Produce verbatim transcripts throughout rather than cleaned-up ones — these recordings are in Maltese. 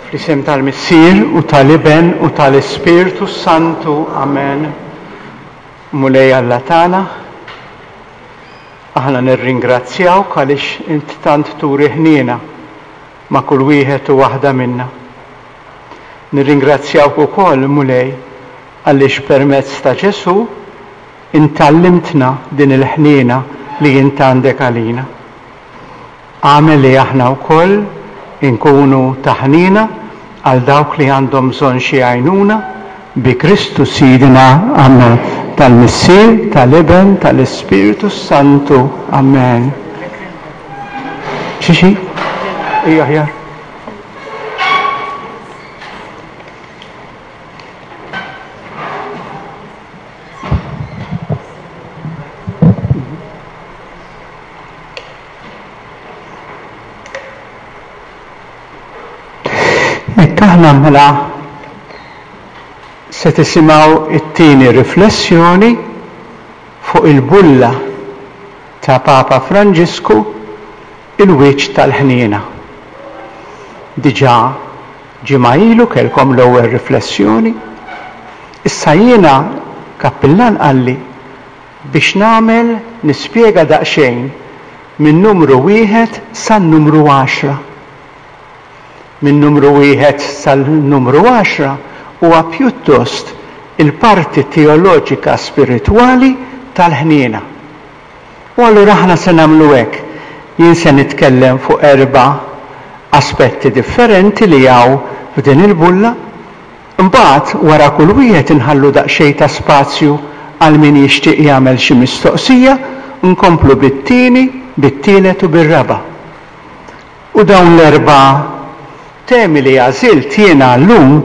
Fl-isem tal-Missier u tal-Iben u tal-Ispirtu Santu. Amen. Mulej Alla tagħna, aħna nirringrazzjawk għaliex int tant turi ħniena ma' kull wieħed u waħda minna. Nirringrazzjawk ukoll, Mulej, għaliex permezz ta' Ġesù int għallimtna din il-ħniena li int għandek għalina. Agħmel li aħna wkoll inkunu ta' ħniena għal dawk li għandhom bżonn xi għajnuna bi Kristu Sidna. Amen. Tal-Missier, tal-Iben, tal-Ispirtu Santu. Amen. Xi xi? Ija aħjar. Hekk aħna mela se tisimgħu it-tieni riflessjoni fuq il-bulla ta' Papa Franġisku il-wiċċ tal-ħniena. Diġà ġimgħa ilu kellkom l-ewwel riflessjoni. Issa jiena kappillan qalli biex nagħmel nispjega daqsxejn minn numru wieħed san-numru għaxra. Minn numru wieħed sal-numru għaxra huwa pjuttost il-parti teoloġika spiritwali tal-ħniena. U allura aħna se nagħmlu hekk. Jien se nitkellem fuq erba' aspetti differenti li hawn f'din il-bulla. Imbagħad wara kull wieħed inħallu daqsxejn ta' spazju għal min jixtieq jagħmel xi mistoqsija, nkomplu bit-tieni, bit-tielet u bir-raba'. U dawn l-erba' temi li għażilt jiena llum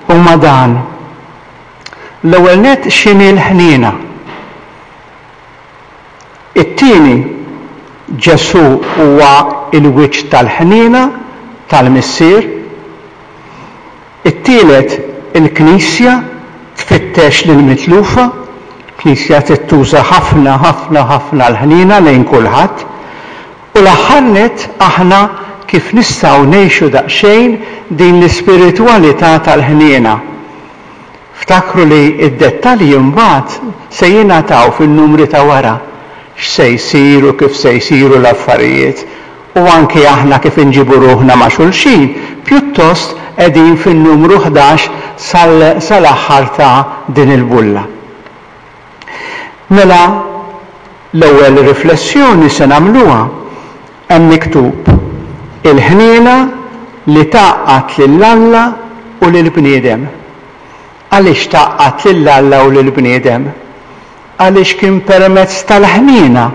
huma dan. L-ewwel nett x'inhi l-ħniena. It-tieni, Ġesù huwa l-wiċċ tal-ħniena tal-Missier. It-tielet, il-Knisja tfittex lill-mitlufa. Il-Knisja trid tuża ħafna ħafna ħafna l-ħniena lejn kulħadd. U l-aħħar nett aħna kif nistgħu ngħixu daqsxejn din l-ispiritwalità tal-ħniena. Ftakru li d-dettalji mbagħad se jingħataw fin-numri ta' wara, x'se jsir u kif se jsiru l-affarijiet, u anki aħna kif inġibu ruħna ma' xulxin, pjuttost qegħdin fin-numru ħdax sal-aħħar ta' din il-bulla. Mela l-ewwel riflessjoni se nagħmluha hemm miktub il-ħniena li tgħaqqad lil Alla u lill-bniedem. Għaliex tgħaqqad lil Alla u lill-bniedem? Għaliex kien permezz tal-ħniena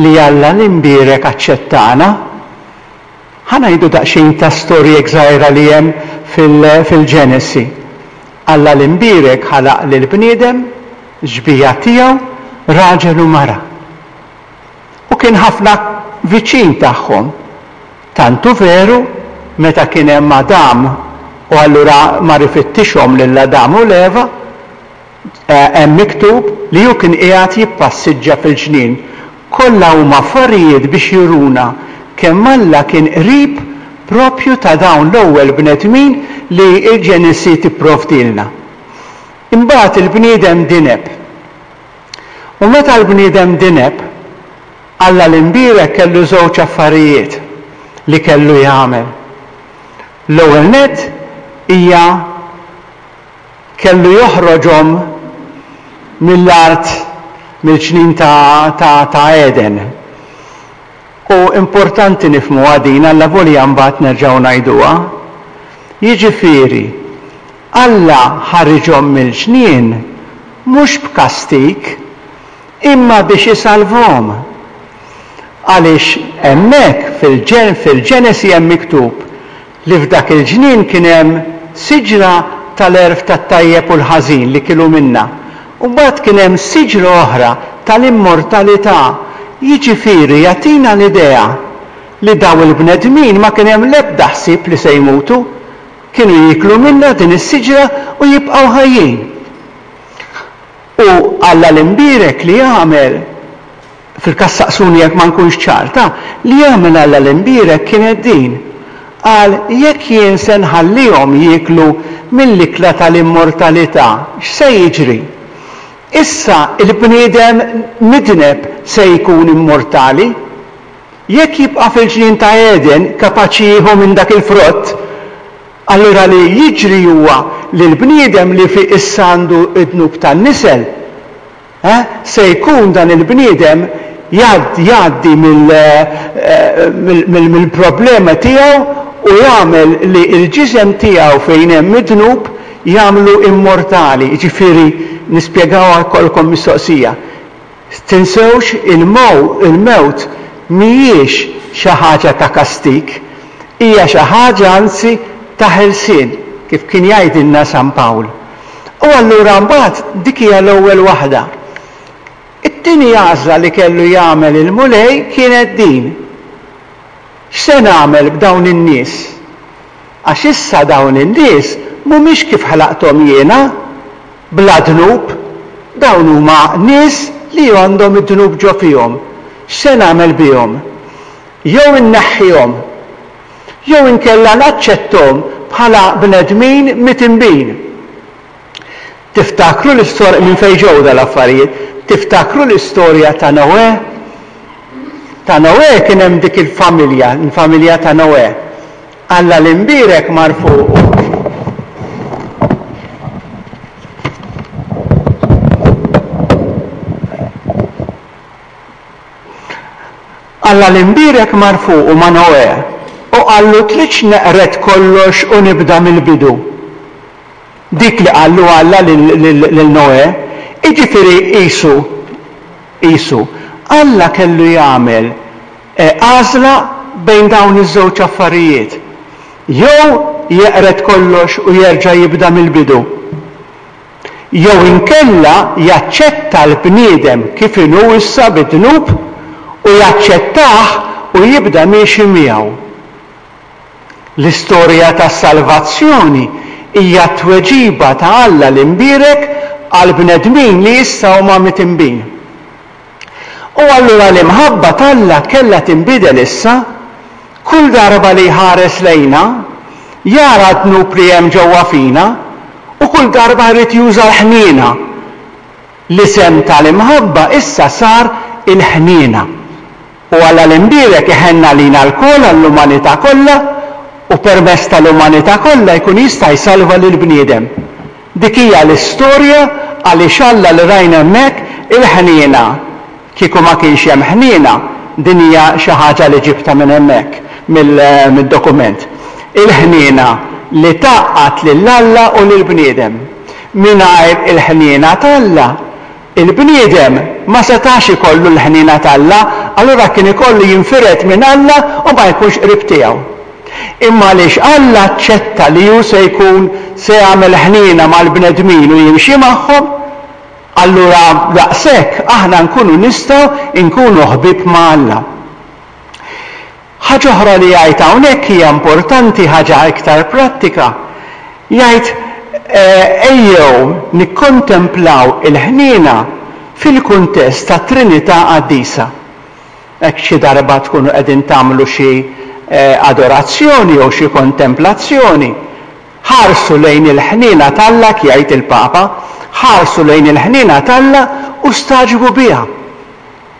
li Alla l-imbierek aċċettana. Ħa ngħidu daqsxejn ta' storja żgħira li hemm fil-Ġenesi. Alla l-imbierek ħalaq lill-bniedem, xbieha tiegħu, raġel u mara. U kien ħafna viċin tagħhom. Tantu veru meta kien hemm Adam u allura mar ifittixhom lil Adam u l-Eva, hemm miktub li hu kien qiegħed jippassiġġa fil-ġnien. Kollha huma affarijiet biex juruna kemm Alla kien qrib propju ta' dawn l-ewwel bnedmin li l-Ġenesi tipprovdilna. Imbagħad il-bniedem dineb. U meta l-bniedem dineb, Alla l-imbierek kellu żewġ affarijiet li kellu jagħmel. L-ewwel nett hija kellu joħroġhom mill-art, mill-ġnien ta', ta', ta' Eden. U importanti nifhmuha din, Alla volja mbagħad nerġgħu ngħiduha. Jiġifieri, Alla ħariġhom mill-ġnien mhux b'kastig, imma biex isalvhom. Għaliex hemmhekk fil-Ġenesi hemm miktub li f'dak il-ġnien kien hemm siġra tal-għerf tat-tajjeb u l-ħażin li kielu minnha. U mbagħad kien hemm siġra oħra tal-immortalità. Jiġifieri jagħtina l-idea li daw il-bnedmin ma kien hemm l-ebda ħsieb li se jmutu. Kienu jieklu minnha din is-siġra u jibqgħu ħajjin. U Alla l-imbierek li għamel, fil-każ saqsuni jekk ma nkunx ċarta, li għamel Alla l-imbierek kienet din. Qal, jekk jien se nħallihom jieklu mill-ikla tal-immortalità, x'se jiġri? Issa il-bniedem midneb se jkun immortali. Jekk jibqa' fil-ġnien ta' Eden kapaċi jieħu minn dak il-frott, allura li jiġri huwa li l-bniedem li fi issa għandu d-dnub tan-nisel, eh, se jkun dan il-bniedem jgħaddi mill-problema tiegħu u jagħmel li l-ġisem tiegħu fejn hemm id-dnub jagħmlu immortali. Jiġifieri nispjegawha jkollkom mistoqsija. Tinsewx il-mewt mhijiex xi ħaġa ta' kastig, hija xi ħaġa anzi ta' ħelsien, kif kien jgħidilna San Pawl. U allura mbagħad dik hija l-ewwel waħda. It-tieni għażla li kellu jagħmel il-Mulej kienet din. X'se nagħmel b'dawn in-nies? Għax issa dawn in-nies mhumiex kif ħlaqthom jiena, bla dnub, dawn huma nies li għandhom id-dnub ġo fihom. X'se nagħmel bihom? Jew inneħħihom, jew inkella naċċetthom bħala bnedmin mitinbin. Tiftakru l-istorja minn fejn ġew dal-affarijiet? Tiftakru l-istorja ta' Noè? Ta' Noè kien hemm dik il-familja, il-familja ta' Noè. Alla l-imbierek mar fuqu. Alla l-imbierek mar fuqu ma' Noè u qallu tridx neqred kollox u nibda mill-bidu. Dik li qallu Alla lil Noè, jiġifieri qisu, qisu, Alla kellu jagħmel għażla bejn dawn iż-żewġ affarijiet. Jew jeqred kollox u jerġa' jibda mill-bidu. Jew inkella jaċċetta l-bniedem kif inhu issa bid-dnub u jaċċettah u jibda miexi miegħu. L-istorja tas-salvazzjoni hija t-tweġiba ta' Alla l-imbierek għall-bnedmin li issa huma mitinbin. U allura l-imħabba t'Alla kellha tinbidel issa, kull darba li jħares lejna, jara d-dnub li hemm ġewwa fina, u kull darba jrid juża l-ħniena. L-isem tal-imħabba issa sar il-ħniena. U Alla l-imbierek iħenn għalina lkoll, għall-umanità kollha, u permezz tal-umanità kollha jkun jista' jsalva lill-bniedem. Dik hija l-istorja għaliex Alla li rajna hemmhekk il-ħniena. Kieku ma kienx hemm ħniena, din hija xi ħaġa li ġibtha minn hemmhekk, mid-dokument. Il-ħniena li tgħaqqad lil Alla u lill-bniedem. Mingħajr il-ħniena t'Alla, il-bniedem ma setax ikollu l-ħniena t'Alla, allura kien ikollu jinfired minn Alla u ma jkunx qrib tiegħu. Imma għaliex Alla aċċetta li hu se jkun se jagħmel ħniena mal-bnedmin u jimxi magħhom, allura daqshekk aħna nkunu nistgħu nkunu ħbieb ma' Alla. Ħaġa oħra li jgħid hawnhekk hija importanti, ħaġa iktar prattika. Jgħid ejjew nikkontemplaw il-ħniena fil-kuntest tat-Trinità Qaddisa. Hekk xi darba tkunu qegħdin tagħmlu xi adorazzjoni jew xi kontemplazzjoni, ħarsu lejn il-ħniena t'Alla, jgħid il-Papa, ħarsu lejn il-ħniena t'Alla u staġbu biha.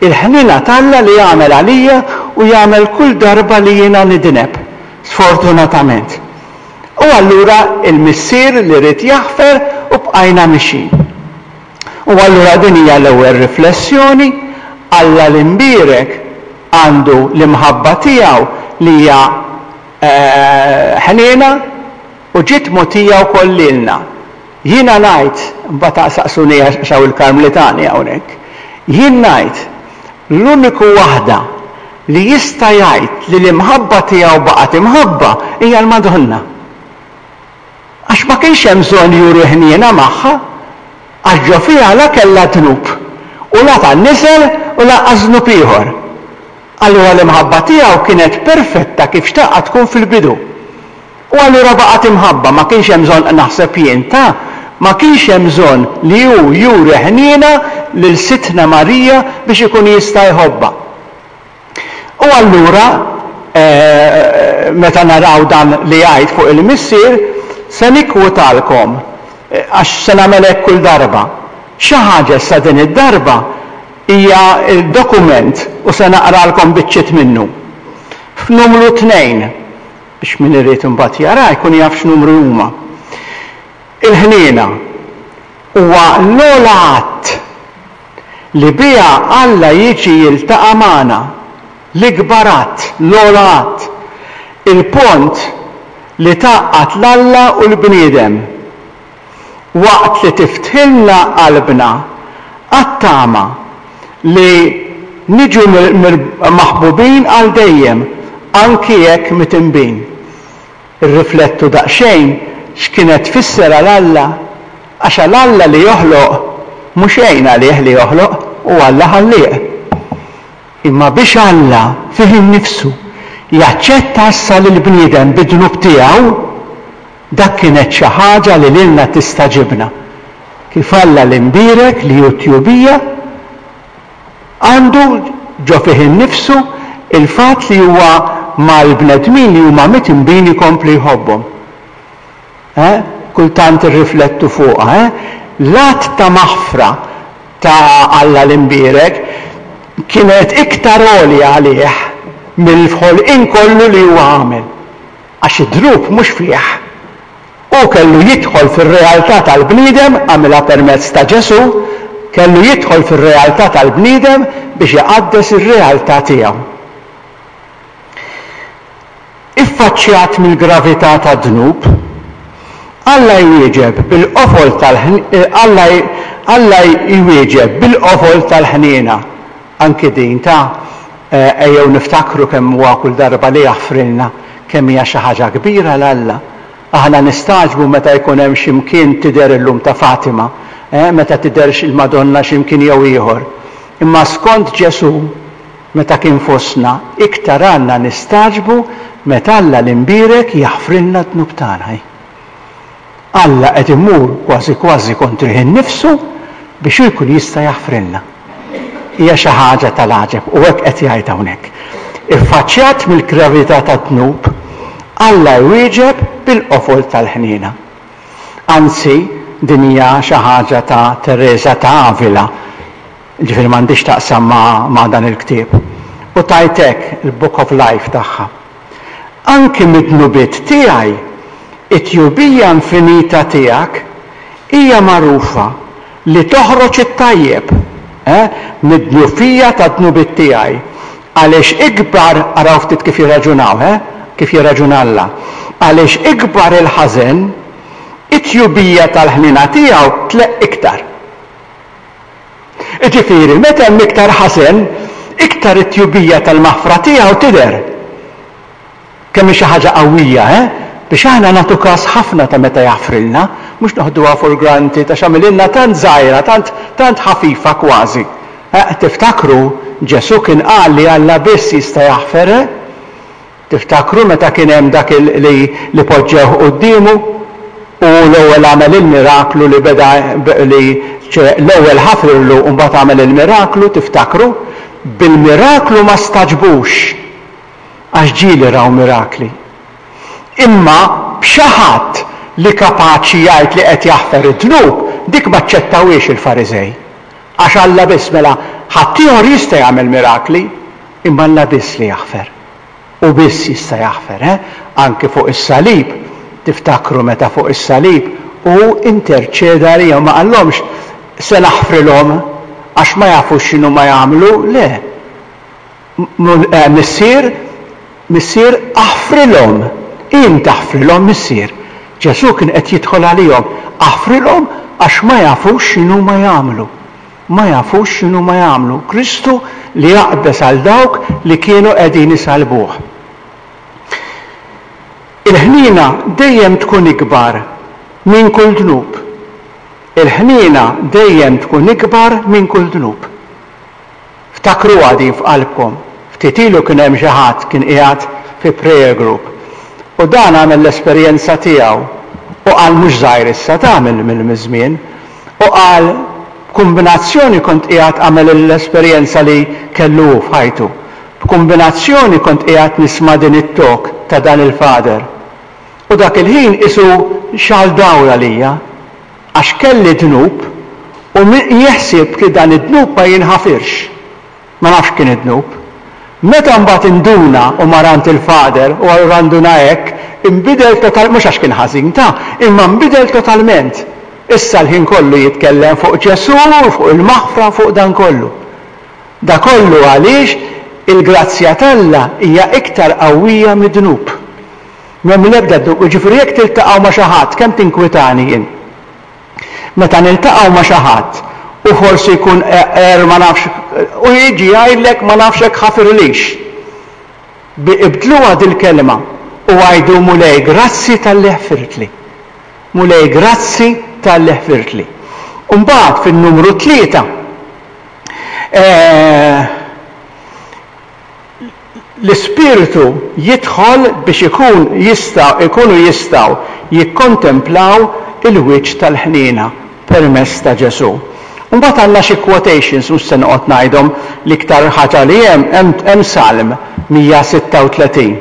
Il-ħniena t'Alla li jagħmel għalija u jagħmel kull darba li jiena nidneb, sfortunatament. U allura il-Missier li rid jaħfer u bqajna mixjin. U allura din hija l-ewwel riflessjoni, Alla l-imbierek għandu l-imħabba tiegħu li hija ħniena u ġiet mogħtija wkoll lilna. Jiena ngħid, mbagħad saqsuni għax hawn il-Karmlitani hawnhekk, jien ngħid l-uniku waħda li jista' jgħid li l-imħabba tiegħu baqgħet imħabba hija l-Madonna. Għax ma kienx hemm bżonn juri ħniena magħha, għax ġo fiha la kellha dnub u la tan-nisel u lanqas dnub ieħor. Allura l-imħabba tiegħu kienet perfetta kif xtaqha tkun fil-bidu. U allura baqgħet imħabba, ma kienx hemm bżonn naħseb jien ta' ma kienx hemm bżonn li hu juri ħniena lil Sidtna Marija biex ikun jista' jħobbha. U allura meta naraw dan li jgħid fuq il-Missier, se nikkwotalkom, għax se nagħmel hekk kull darba. Xi ħaġa issa din id-darba hija dokument u se naqralkom biċċiet minnu. F'numru tnejn, biex min irid imbagħad jara jkun jaf x'numru huma. Il-ħniena huwa l-ogħla att li biha Alla jiġi jiltaqa' magħna, l-ikbar att, l-ogħla att, il-pont li tgħaqqad l-Alla u l-bniedem, waqt li tiftħilna qalbna għat-tama li niġu maħbubin għal dejjem, anki jekk mitinbin. Irriflettu daqsxejn x'kienet tfisser għal Alla, għax għal Alla li joħloq mhux xejn għalih li joħloq, u Alla ħallieq. Imma biex Alla fih innifsu jaċċetta issa lill-bniedem bid-dnub tiegħu, dak kienet xi ħaġa li lilna tistagħġibna. Kif Alla l-imbierek li hu tjubija għandu ġo fih innifsu il-fatt li huwa mal-bnedmin li huma mitinbin ikompli jħobbhom. Eh? Kultant irriflettu fuqha, eh? L-att ta' maħfra ta' Alla l-imbierek kienet iktar għolja għalih mill-ħolqien kollu li huwa għamel. Għax id-dnub mhux fih. Hu kellu jidħol fir-realtà tal-bniedem, għamilha permezz ta' Ġesù, kellu jidħol fir-realtà tal-bniedem biex iqaddes ir-realtà tiegħu. Iffaċċjat mill-gravità tad-dnub, Alla jwieġeb bil-qofol tal-ħn-, Alla, Alla jwieġeb bil-qofol tal-ħniena. Anki din ta' ejjew niftakru kemm huwa kull darba li jaħfrilna, kemm hija xi ħaġa kbira l Alla. Aħna nistagħġbu meta jkun hemm xi mkien tidher illum ta' Fatima, eh, meta tidher il-Madonna xi mkien jew ieħor. Imma skont Ġesù, meta kien fostna, iktar għandna nistagħġbu meta Alla l-imbierek jaħfrilna d-dnub tagħna. Alla qed imur kważi kważi kontrih innifsu biex hu jkun jista' jaħfrilna. Hija xi ħaġa tal-għaġeb u hekk qed jgħid hawnhekk. Iffaċċjat mill-gravità tad-dnub, Alla jwieġeb bil-qofol tal-ħniena. Anzi, din hija xi ħaġa ta' Teresa ta' Avila, ġifieri m'għandix taqsam ma', ma' dan il-ktieb. U tajt hekk il-Book of Life tagħha. Anki mid-dnubiet tiegħi, it-tjubija infinita tiegħek hija magħrufa li toħroġ it-tajjeb, eh, mid-dnufija tad-dnubiet tiegħi. Għaliex ikbar, araw ftit kif jirraġunaw, eh, kif jirraġuna Alla. Għaliex ikbar il-ħażen, it-tjubija tal-ħniena tiegħu tleqq iktar. Jiġifieri, meta hemm iktar ħażen, iktar it-tjubija tal-maħfra tiegħu tidher. Kemm hi xi ħaġa qawwija, eh? Biex aħna nagħtu każ ħafna ta' meta jaħfrilna, mhux noħduha for granted għax għamililna tant żgħira, tant, tant ħafifa kważi. Eh, tiftakru Ġesù kien qal li Alla biss jista' jaħfer, eh? Tiftakru meta kien hemm dak li, li poġġewh quddiemu u l-ewwel għamel il-miraklu li beda li l-ewwel ħafirlu u mbagħad għamel il-miraklu, tiftakru? Bil-miraklu ma staġbux għax ġieli raw mirakli. Imma b'xi ħadd li kapaċi jgħid li qed jaħfer id-dnub, dik ma aċċettawhiex il-Fariżej. Għax Alla biss, mela ħaddieħor jista' jagħmel mirakli, imma Alla biss li jaħfer. U biss jista' jaħfer, eh? Anki fuq is-salib, tiftakru meta fuq is-salib u interċeda għalihom, ma qallhomx se naħfrilhom għax ma jafux x'inhu ma jagħmlu, le. Missier, Missier aħfrilhom, int aħfrilhom Missier. Ġesù kien qed jidħol għalihom, aħfrilhom għax ma jafux x'inhu ma jagħmlu. Ma jafux x'inhu ma jagħmlu. Kristu li jaqbeż għal dawk li kienu qegħdin isalbuh. Il-ħniena dejjem tkun ikbar minn kull dnub. Il-ħniena dejjem tkun ikbar minn kull dnub. Ftakruha din f'qalbkom. Ftit ilu kien hemm xi ħadd kien qiegħed fi prayer group. U dan għamel l-esperjenza tiegħu u qal mhux żgħir issa ta' mill-żmien. U qal kombinazzjoni kont qiegħed għamel l-esperjenza li kellu hu f'ħajtu. B'kumbinazzjoni kont qiegħed nisma' din it-talk ta' dan il-father. U dak il-ħin qisu xegħel dawl għalija. Għax kelli dnub u jeħsib li dan id-dnub ma jinħafirx. Ma nafx kien id-dnub. Meta mbagħad induna u mar għand il-father u allura nduna hekk, inbidel total, mhux għax kien ħażin ta, imma nbidel totalment. Issa l-ħin kollu jitkellem fuq Ġesù, fuq il-maħfra, fuq dan kollu. Da kollu għaliex il-grazzja t'Alla hija iktar qawwija mid-dnub. M'hemm l-ebda dnub, jiġifieri jekk tiltaqgħu ma' xi ħadd, kemm tinkwitani jien. Meta niltaqgħu ma' xi ħadd u forsi jkun er ma nafx u jiġi jgħidlek ma nafx hekk ħafirlix. Ibdluha dil-kelma u għidu Mulej grazzi talli ħfirtli. Mulej grazzi talli ħfirtli. U mbagħad fin-numru tlieta eh, l-Ispirtu jidħol biex ikun jista' ikunu jistgħu jikkontemplaw il-wiċċ tal-ħniena permezz ta' Ġesù. Mbagħad għandna xi quotations mhux se noqgħod ngħidhom l-iktar ħaġa li hemm hemm Salm mija sitta u tletin.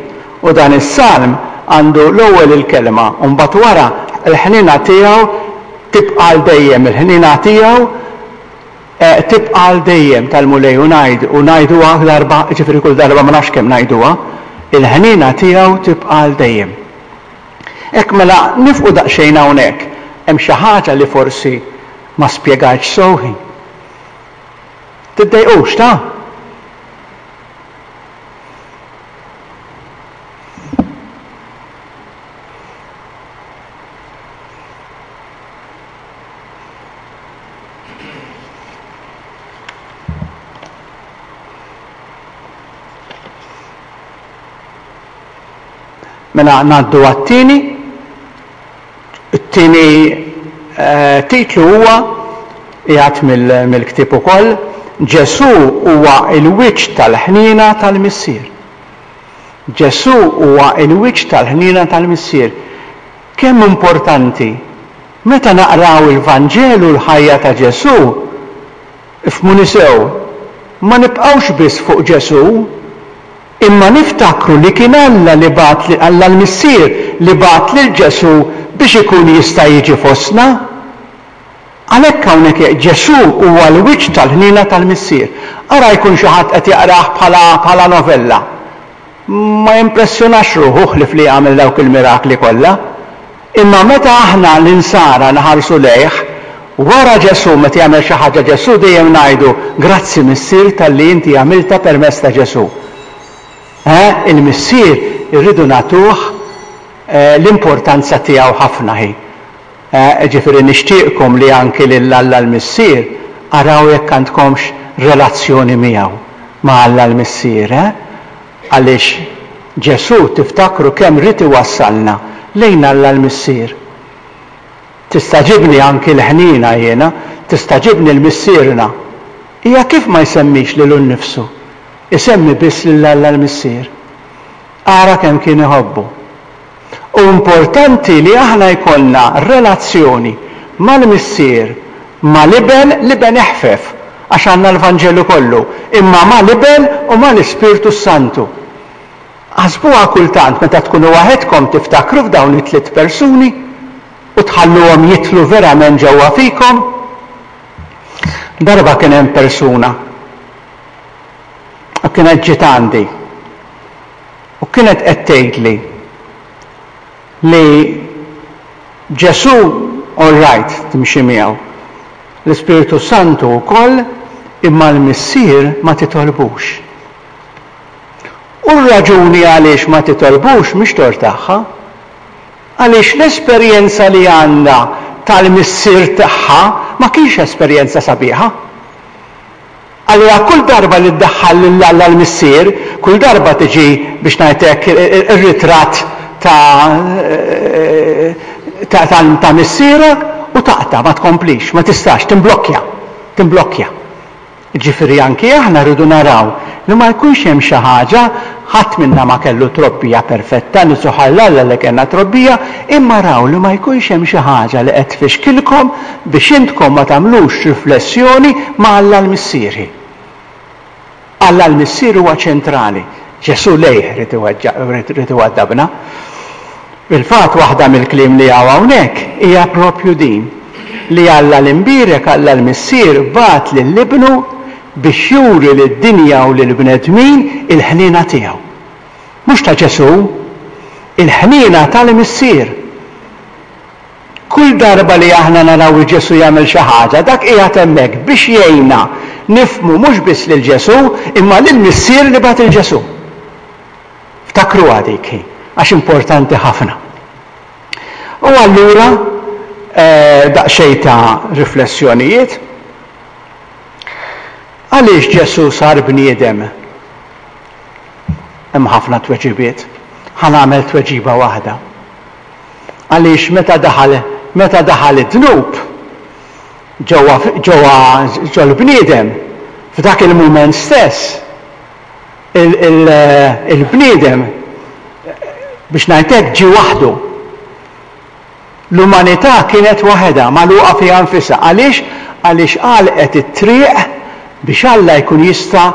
U dan is-salm għandu l-ewwel il-kelma u mbagħad wara l-ħniena tiegħu tibqa' għal dejjem, il-ħniena tiegħu tibqa' għal dejjem tal-Mulej u ngħid u ngħiduha darba, jiġifieri kull darba ma nafx kemm ngħiduha, il-ħniena tiegħu tibqa' għal dejjem. Hekk mela nifqu daqsxejn hawnhekk, hemm xi ħaġa li forsi ma spjegajtx sew hi. Tiddejqux ta'? Mela ngħaddu għat-tieni. It-tieni eh, titlu huwa qiegħed mill-ktieb ukoll, Ġesù huwa l-wiċċ tal-ħniena tal-Missier. Ġesù huwa l-wiċċ tal-ħniena tal-Missier. Kemm importanti meta naqraw il-Vanġelu l-ħajja ta' Ġesù, ifhmuni sew, ma nibqgħux biss fuq Ġesù, imma niftakru li kien Alla li bagħat, Alla l-Missier li bagħat lil Ġesù biex ikun jista' jiġi fostna. Għalhekk hawnhekk Ġesù huwa l-wiċċ tal-ħniena tal-Missier. Ara jkun xi ħadd qed jaqrah bħala, bħala novella. Ma jimpressjonax ruħu ħlief li jagħmel dawk il-mirakli kollha. Imma meta aħna l-insara nħarsu lejh, wara Ġesù meta jagħmel xi ħaġa Ġesù dejjem ngħidu grazzi Missier talli inti għamilta permezz ta' Ġesù. Eh, il-Missier irridu nagħtuh eh, l-importanza tiegħu ħafna hi. Eh, ġifieri nixtieqkom li anki lil Alla l-Missier araw jekk għandkomx relazzjoni miegħu ma' Alla l-Missier, eh? Għaliex Ġesù tiftakru kemm ried iwassalna lejn Alla l-Missier. Tistagħġibni anki l-ħniena jiena, tistagħġibni l-Missierna. Hija kif ma jsemmix lilu nnifsu, isemmi biss lil Alla l-Missier. Ara kemm kien iħobbu. U importanti li aħna jkollna relazzjoni mal-Missier, mal-Iben, l-Iben eħfef, għax għandna l-Vanġelu kollu, imma mal-Iben u mal-Ispirtu Santu. Ħasbuha kultant meta tkunu waħedkom tiftakru f'dawn it-tliet persuni u tħalluhom jidħlu verament ġewwa fikom. Darba kien hemm persuna u kienet ġiet għandi u kienet qed tgħidli li Ġesù all right timxi miegħu, l-Ispirtu Santu wkoll, imma l-Missier ma titolbux. U r-raġuni għaliex ma titolbux mhix tort tagħha. Għaliex l-esperjenza li għandha tal-missier tagħha ma kienx esperjenza sabiħa. Allura kull darba li ddaħħal lil Alla l-Missier, kull darba tiġi biex ngħid hekk ir-ritratt ta' ta' ta' missierha u taqta' ma tkomplix, ma tistax, timblokkja, timblokkja. Ġifieri anki aħna rridu naraw li ma jkunx hemm xi ħaġa, ħadd minna ma kellu trobbija perfetta, nisuħ għal Alla li kellna trobbija, imma raw li ma jkunx hemm xi ħaġa li qed tfixkilkom biex intkom ma tagħmlux riflessjoni ma' Alla l-Missieri. Alla l-Missier huwa ċentrali. Ġesù lejh ried iwaddabna. Fil-fatt waħda mill-kliem li hawn hawnhekk hija propju din, li Alla l-Imbierek, Alla l-Missier bagħat lil Ibnu biex juri lid-dinja u lill-bnedmin il-ħniena tiegħu. Mhux ta' Ġesù, il-ħniena tal-Missier. Kull darba li aħna naraw il Ġesù jagħmel xi ħaġa, dak qiegħed hemmhekk biex jgħinna nifhmu mhux biss lil Ġesù, imma lill-Missier li bagħat il Ġesù. Ftakruha dik, għax importanti ħafna. U allura eh, daqsxejn ta' riflessjonijiet. Għaliex Ġesù sar bniedem? Hemm ħafna tweġibiet. Ħa nagħmel tweġiba waħda. Għaliex meta daħal meta daħal id-dnub ġewwa ġewwa ġol-bniedem, f'dak il-mument stess, il-bniedem, biex ngħid hekk, ġie waħdu. L-umanità kienet waħedha, magħluqa fiha nfisha. Għaliex? Għaliex għalqet it-triq biex Alla jkun jista'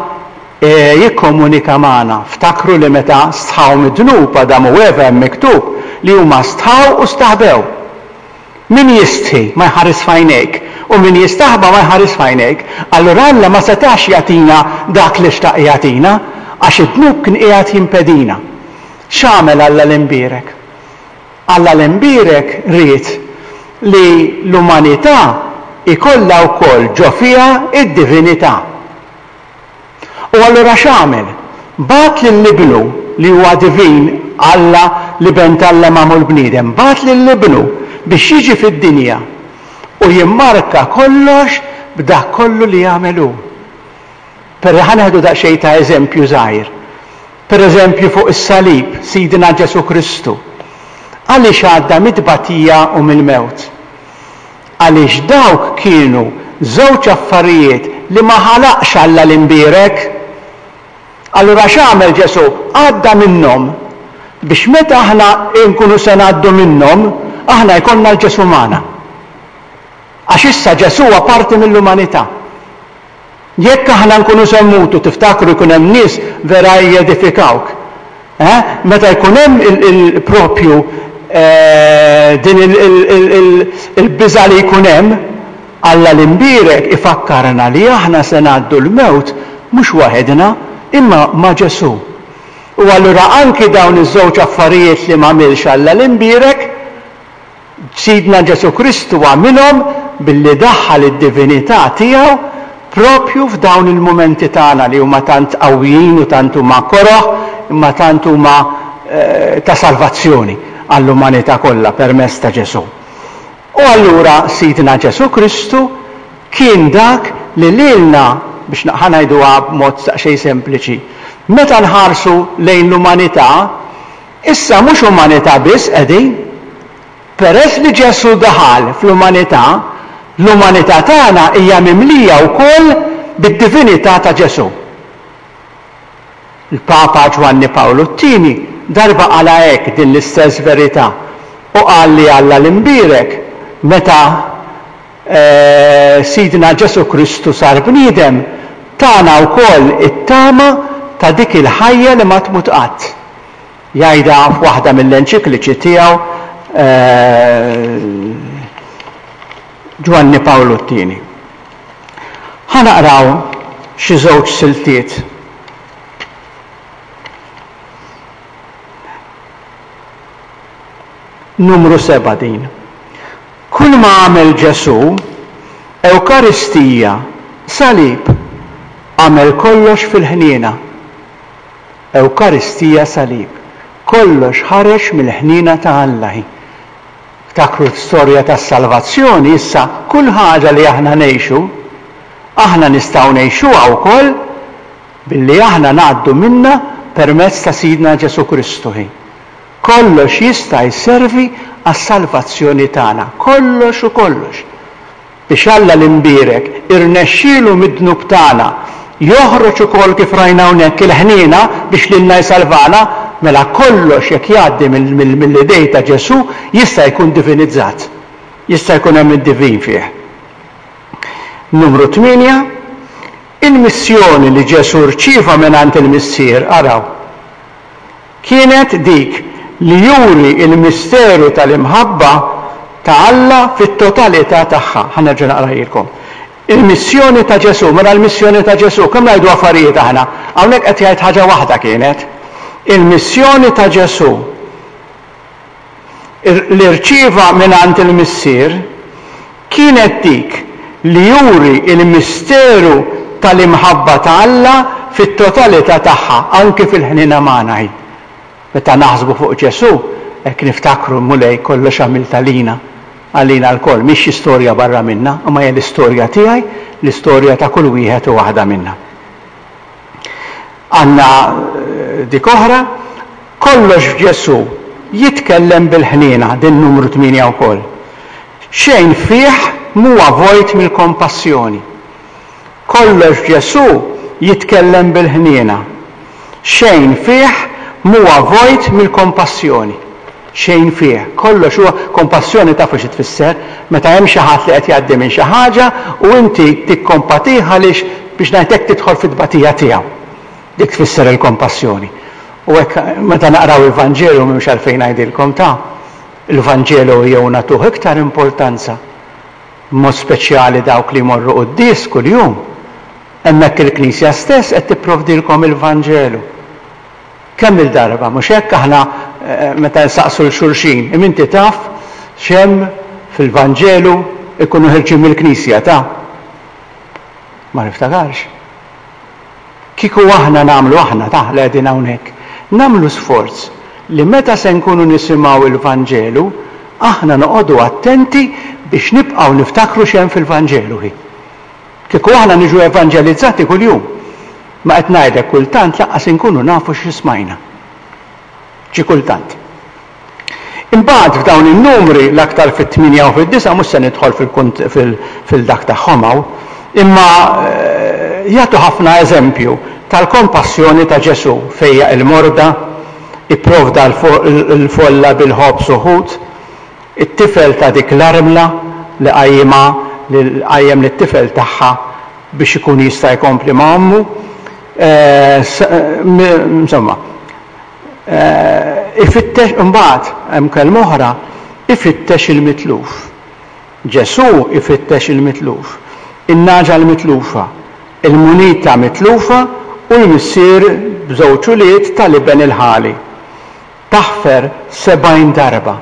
jikkomunika magħna. Ftakru li meta stħaw mid-dnub Adam u Eva hemm miktub li huma stħaw u staħbew. Min jistħi ma jħares f'għajnejk, u min jistaħba ma jħares f'għajnejk. Allura Alla ma setax jagħtina dak li xtaq jagħtina, għax id-dnub kien qiegħed jimpedina. X'għamel Alla l-Imbierek? Alla l-Imbierek ried li l-umanità ikollha wkoll ġo fiha d-divinità. U allura x'għamel? Bagħat lil Ibnu, li huwa divin, Alla, l-Iben t'Alla magħmul bniedem, bagħat lil Ibnu biex jiġi fid-dinja u jimmarka kollox b'dak kollu li għamel hu. Per ħa nieħdu daqsxejn ta' eżempju żgħir. Per eżempju fuq is-salib, Sidna Ġesù Kristu. Għaliex għadda mit-tbatija u mill-mewt? Għaliex dawk kienu żewġ affarijiet li ma ħalaqx Alla l-Imbierek. Allura x'għamel Ġesù? Għadda minnhom biex meta aħna nkunu se ngħaddu minnhom, aħna jkollna l-Ġesù magħna. Għax issa Ġesù huwa parti mill-umanità. Jekk aħna nkunu se mmutu, tiftakru jkun hemm nies vera jedifikawk. Eh? Meta jkun hemm il-propju din il-biża' li jkun hemm, Alla l-Imbierek ifakkarna li aħna se ngħaddu l-mewt mhux waħedna, imma ma' Ġesù. U allura anki dawn iż-żewġ affarijiet li m'għamilx Alla l-Imbierek, Sidna Ġesù Kristu għamilhom billi daħħal id-divinità tiegħu propju f'dawn il-mumenti tagħna li huma tant qawwijin u tant huma koroh, imma tant huma ta' salvazzjoni għall-umanità kollha permezz ta' Ġesù. U allura Sidna Ġesù Kristu kien dak li lilna, biex ħa ngħiduha b'mod daqsxejn sempliċi, meta nħarsu lejn l-umanità, issa mhux umanità biss qegħdin. Peress li Ġesù daħal fl-umanità, l-umanità tagħna hija mimlija wkoll bid-divinità ta' Ġesù. Il-Papa Ġwanni Pawlu t-tieni darba qala hekk din l-istess verità u qal li Alla l-Imbierek meta Sidna Ġesù Kristu sar bniedem tana wkoll it-tama ta' dik il-ħajja li ma tmut qatt. Jgħidha f'waħda mill-enċikliċi tiegħu Ġwanni Pawlu t-tieni. Ħa naqraw xi żewġ siltiet. Numru seba' din. Kull ma għamel Ġesù, Ewkaristija, salib, għamel kollox fil-ħniena. Ewkaristija, salib. Kollox ħareġ mill-ħniena ta' Alla. Ftakru l-istorja tas-salvazzjoni, issa kull ħaġa li aħna ngħixu, aħna nistgħu ngħixuha wkoll billi aħna ngħaddu minnha permezz ta' Sidna Ġesù Kristu. Kollox jista' jservi għas-salvazzjoni tagħna, kollox u kollox. Biex Alla l-Imbierek irnexxielu mid-dnub tagħna joħroġ ukoll kif rajna hawnhekk il-ħniena biex lilna jsalvana, mela kollox jekk jgħaddi mill-idej ta' Ġesù jista' jkun divinizzat. Jista' jkun hemm id-divin fih. Numru tmienja, Il-missjoni li Ġesù rċieva mingħand il-Missier, araw, kienet dik li juri il-misteru tal-imħabba ta' Alla fit-totalità tagħha. Ħa nerġa' naqrajilkom. Il-missjoni ta' Ġesù, mela l-missjoni ta' Ġesù, kemm ngħidu affarijiet aħna? Hawnhekk qed jgħid ħaġa waħda kienet. Il-missjoni ta' Ġesù li rċieva mingħand il-Missier kienet dik li juri il-misteru tal-imħabba ta' Alla fit-totalità tagħha, anki fil-ħniena magħna hi. Meta naħsbu fuq Ġesù, hekk niftakru Mulej kollox għamilt għalina, għalina lkoll, mhix xi storja barra minna, imma hija l-istorja tiegħi, l-istorja ta' kull wieħed u waħda minna. Għandna dik oħra, kollox f'Ġesù jitkellem bil-ħniena, din numru tmienja wkoll. Xejn fih m'huwa vojt mill-kompassjoni. Kollox f'Ġesù jitkellem bil-ħniena. Xejn fih m'huwa vojt mill-kompassjoni. Xejn fih. Kollox huwa kompassjoni, tafu xi tfisser? Meta hemm xi ħadd li qed jgħaddi minn xi ħaġa u inti tikkompatih għaliex biex ngħidlek tidħol fit-tbatija tiegħu. Dik tfisser il-kompassjoni. U hekk meta naqraw il-Vanġelu m'hemmx għalfejn ngħidilkom ta' il-Vanġelu jew nagħtuh iktar importanza. Mod speċjali dawk li jmorru quddies kuljum. Hemmhekk il-Knisja stess qed tipprovdilkom il-Vanġelu. Kemm il-darba, mhux hekk aħna meta nsaqsu l xulxin, imma inti taf x'hemm fil-Vanġelu ikunu ħirġin mill-Knisja ta' ma niftakarx. Kieku aħna nagħmlu aħna ta' li qegħdin hawnhekk, nagħmlu sforz li meta se nkunu nisimgħu il-Vanġelu, aħna noqogħdu attenti biex nibqgħu niftakru x'hemm fil-Vanġelu hi. Kieku aħna niġu evanġelizzati kuljum, ma qed ngħidlek kultant lanqas inkunu nafu xi smajna. Xi kultant. Imbagħad f'dawn in-numri l-aktar fit-tmienja u fid-disa' mhux se nidħol fil-dak tagħhom hawn, imma jagħtu ħafna eżempju tal-kompassjoni ta' Ġesù fejjaq il-morda, ipprovda l-folla bil-ħobż u ħut, it-tifel ta' dik l-armla li qajjimha li qajjem lit-tifel tagħha biex ikun jista' jkompli ma' ommu. Insomma, ifittex imbagħad hemm kelma oħra, ifittex il-mitluf. Ġesù ifittex il-mitluf, in-nagħġa l-mitlufa, il-munita mitlufa u l-missier b'żewġ ulied tal-iben il-ħali. Taħfer sebgħin darba.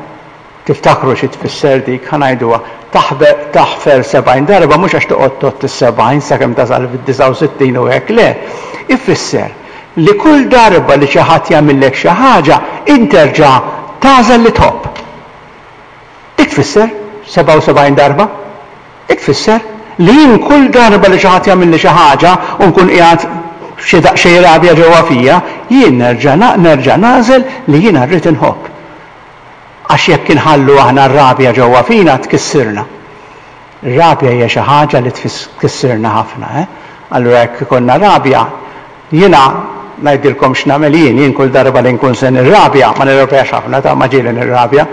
Tiftakru xi tfisser dik, ħa ngħiduha. Taħfer sebgħin darba mhux għax toqgħod tgħodd is-sebgħin sakemm tasal fid-disgħa u sittin u hekk, le. Ifisser li kull darba li xi ħadd jagħmillek xi ħaġa, interġa' tagħżel li tħobb. Dik tfisser sebgħa u sebgħin darba. Dik tfisser li jien kull darba li xi ħadd jagħmilli xi ħaġa u nkun qiegħed f'xi daqsxejn rabja ġewwa fija, jien nerġa' nerġa' nagħżel li jiena rrid inħobb. Għax jekk inħallu aħna r-rabja ġewwa fina tkissirna. Ir-rabja hija xi ħaġa li tkissirna ħafna, eh? Allura jekk ikollna rabja, jiena ngħidilkom x'nagħmel jien, jien kull darba li nkun se nirrabja, ma nirrabjax ħafna, ta' ma ġieli nirrabja.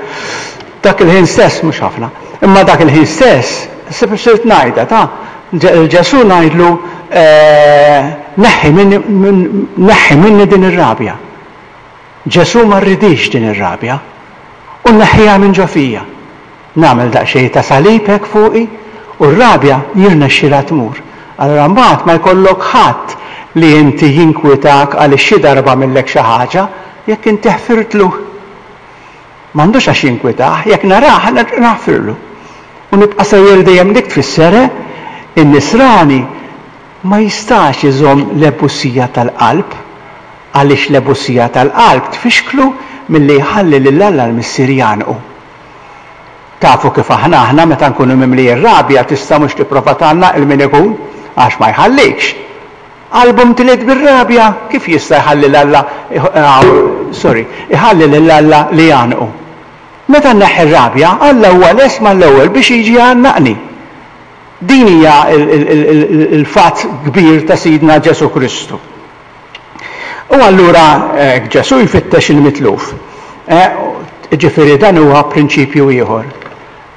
Dak il-ħin stess mhux ħafna, imma dak il-ħin stess sirt ngħidha ta' Ġesù ngħidlu neħħi minni, neħħi minni din ir-rabja. Ġesù ma rridix din ir-rabja u nneħħiha minn ġo fija. Nagħmel daqsxejn ta' salib hekk fuqi u r-rabja jirnexxilha tmur. Allura mbagħad ma jkollok ħadd li inti jinkwitak għaliex xi darba għamillek xi ħaġa jekk inti ħfirtlu. M'għandux għax jinkwitah, jekk narah naħfirlu. U nibqa' sejjer dejjem dik tfisser in-nisrani ma jistax iżomm l-ebusija tal-qalb, għaliex l-ebusija tal-qalb tfixklu milli jħalli lil Alla l-Missier jgħannqu. Tafu kif aħna aħna meta nkunu mimlijin rabja tista' mhux tipprova tgħannaq il min ikun għax ma jħallikx. Qalbu mtliet bir-rabja, kif jista' jħalli 'l Alla sorry, iħalli lil Alla li jgħannqu? Meta nneħħi r-rabja, Alla huwa lest mal-ewwel biex jiġi jgħannaqni. Din hija l-fatt kbir ta' Sidna Ġesù Kristu. U allura Ġesù jfittex il-mitluf. Ġifieri dan huwa prinċipju ieħor.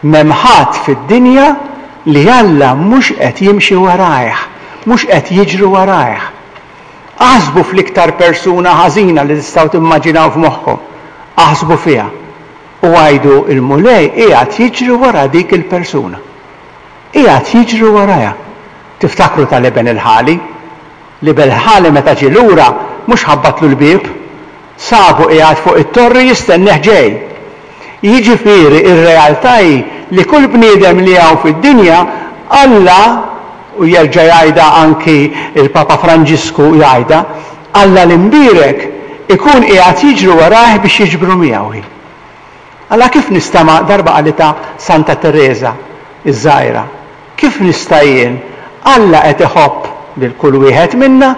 M'hemm ħadd fid-dinja li Alla mhux qed jimxi warajh, mhux qed jiġru warajh. Aħsbu fl-iktar persuna ħażina li tistgħu timmaġinaw f'moħħkom. Aħsbu fiha. U għidu il-Mulej qiegħed jiġri wara dik il-persuna. Qiegħed jiġri warajha. Tiftakru tal-iben il-ħali? L-iben il-ħali meta ġie lura mhux ħabbatlu l-bieb, sabu qiegħed fuq it-torri jistennih ġej. Jiġifieri r-realtà hi li kull bniedem li hawn fid-dinja Alla, u jerġa' jgħidha anki l-Papa Franġisku jgħidha, Alla l-imbierek ikun qiegħed jiġri warajh biex jiġbru miegħu hi. Alla kif nista' ma darba qalitha Santa Tereża iż-żgħira, kif nista' jien Alla qed iħobb lil kull wieħed minna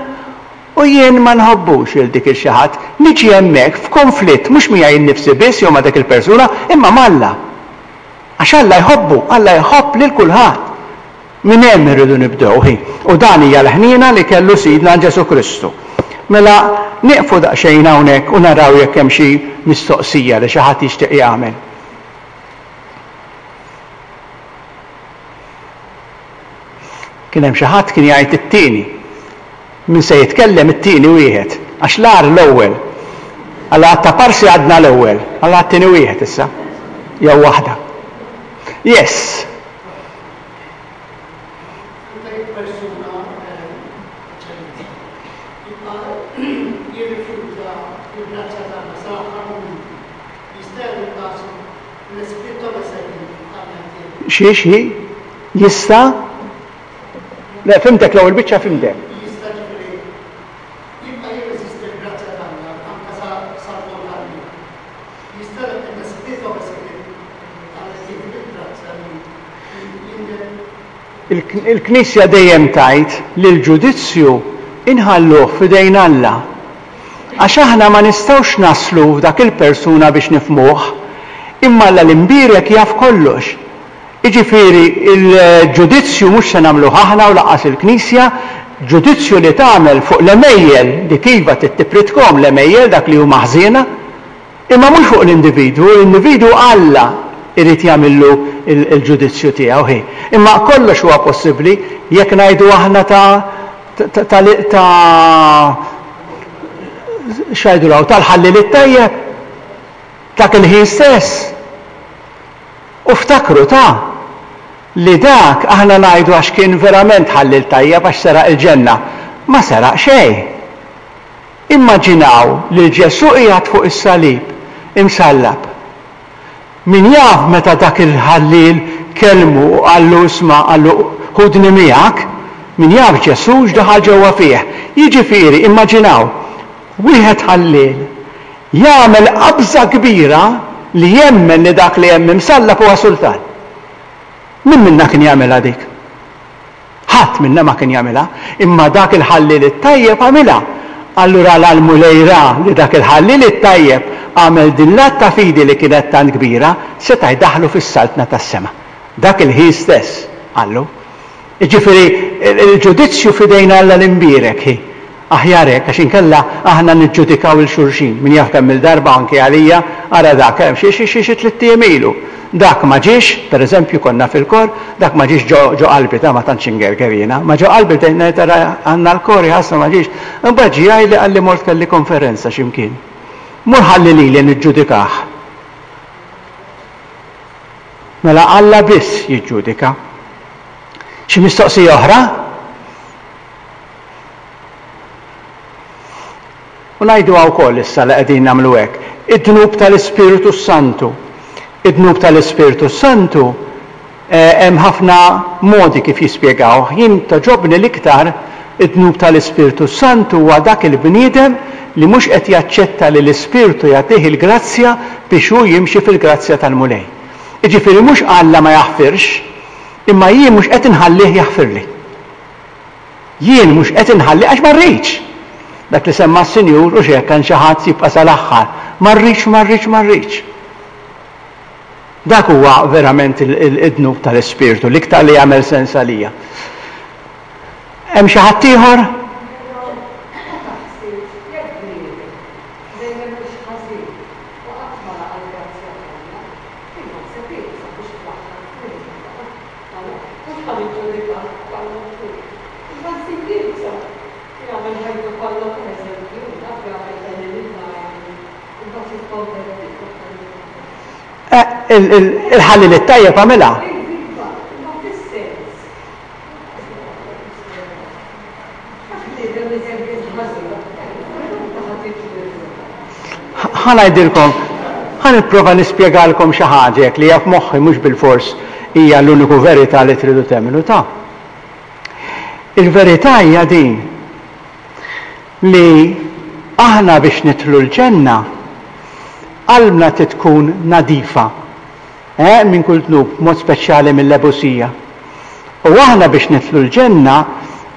u jien ma nħobbux lil dik il xi ħadd, niġi hemmhekk f'konflitt mhux miegħi nnifsi biss jew ma' dik il-persuna imma m'Alla. Għax Alla jħobbu, Alla jħobb lil kulħadd. Minn hemm irridu nibdew, hi. U dan hija l-ħniena li kellu Sidna Ġesù Kristu. Mela nieqfu daqsxejn hawnhekk u naraw jekk hemm xi mistoqsija li xi ħadd jixtieq jagħmel. Kien hemm xi ħadd kien jgħid it-tieni. Min se jitkellem it-tieni wieħed, għax l-agħar l-ewwel. Alla għad ta' parsi għadna l-ewwel, alla għat-tieni wieħed issa. Jew waħda. Yes. Meta jekk persuna eċċellenza jibqa' jirrifjuta l-grazzja t'Alla sal-aħħar mument, jista' jagħmel kasu l-Esprit Messenger Alla jtiegħu. Xi xi jista' Le, fhimtek l-ewwel biċċa fhimtek. Jista' ġifieri jibqa' jirreżisti l-grazzja t'Alla anke sal-punt tal-mewt. Jista' l-Esprit Messenger Alla jtiegħu bil-grazzja li jindem. Il-Knisja dejjem tgħid li l-ġudizzju inħalluh f'idejn Alla. Għax aħna ma nistgħux naslu f'dak il-persuna biex nifhmuh, imma Alla l-imbierek jaf kollox. Jiġifieri l-ġudizzju mhux se nagħmluh aħna u lanqas il-Knisja, ġudizzju li tagħmel fuq l-għemejjel, dik iva trid tipritkhom l-għemejjel dak li huma ħżiena, imma mhux fuq l-individwu, l-individwu Alla irid jagħmillu l-ġudizzju tiegħu hi. Imma kollox huwa possibbli jekk ngħidu aħna ta' ta' ta' ta' x'għidu hawn tal-ħalliel it-tajjeb dak il-ħin stess. U ftakru ta' li dak aħna ngħidu għax kien verament ħalliel tajjeb għax seraq il-ġenna. Ma seraq xejn. Immaġinaw lil Ġesù qiegħed fuq is-salib imsallab. Min jaf meta dak il-ħalliel kellmu u qallu isma' qallu ħudni miegħek, min jaf Ġesù x'daħal ġewwa fih. Jiġifieri immaġinaw wieħed ħalliel jagħmel qabża kbira li jemmen li dak li hemm imsallab huwa sultan. Min minna kien jagħmilha dik? Ħadd minna ma kien jagħmilha, imma dak il-ħalliel it-tajjeb għamilha. Allura la l-Mulej ra li dak il-ħalliel it-tajjeb għamel din l-att ta' fidi li kienet tant kbira, seta' jdaħħlu fis-saltna tas-sema. Dak il-ħin stess, qallu. Jiġifieri il-ġudizzju f'idejn Alla l-imbierek hi. Aħjar hekk, għax inkella aħna niġġudikaw 'il xulxin. Min jaf kemm-il darba anki għalija, ara dak, xi xi xi xi tlitt ijiem ilu. Dak ma ġiex, per eżempju konna fil-kor, dak ma ġiex ġo ġo qalbi, ta' ma tantx ingerger jiena, ma ġo qalbi bdejt ngħid ara għandna l-kor jaħasra ma ġiex. Imbagħad ġie jgħidli qalli mort kelli konferenza xi mkien. Mur ħalli lili niġġudikah. Mela Alla biss jiġġudika. Xi mistoqsija oħra? U ngħiduha wkoll issa li qegħdin nagħmlu hekk. Id-dnub tal-Ispirtu s-Santu. Id-dnub tal-Ispirtu s-Santu hemm ħafna modi kif jispjegawh. Jien togħġobni l-iktar id-dnub tal-Ispirtu s-Santu huwa dak il-bniedem li mhux qed jaċċetta li l-Ispirtu jagħtih il-grazzja biex hu jimxi fil-grazzja tal-Mulej. Jiġifieri mhux Alla ma jaħfirx, imma jien mhux qed inħallih jaħfirli. Jien mhux qed inħalli għax ma rridx. Dak li semma s-Sinjur u x'hekk hemm xi ħadd jibqa' sal-aħħar. Ma rridx, ma rridx, ma rridx. Dak huwa verament id-dnub tal-Ispirtu, l-iktar li jagħmel sens għalija. Hemm xi ħadd ieħor? Però ma taħsibx jekk bniedem dejjem mhux ħażin u qatt ma laqa' l-grazzja t'Alla, jien naħseb iebsa biex fl-aħħar tmien mhux ħa niġġudikah bħala maħfur. Imma nsib Jagħmel ħajtu kollha pereżempju, naf jagħmel ħalli imbagħad jikkonverti. Eh, il-ħalli li tajjeb għamilha. Iva, imma fis-sens. Għax bniedem eżempju ħażin, Ħa ngħidilkom, ħa nipprova nispjegalkom xi ħaġa jekk li hija f'moħħi mhux bilfors hija l-uniku verità li tridu temmnu ta'. Il-verità hija din li aħna biex nidħlu l-ġenna qalbna trid tkun nadifa, eh, minn kull dnub, mod speċjali mill-ebusija. U aħna biex nidħlu l-ġenna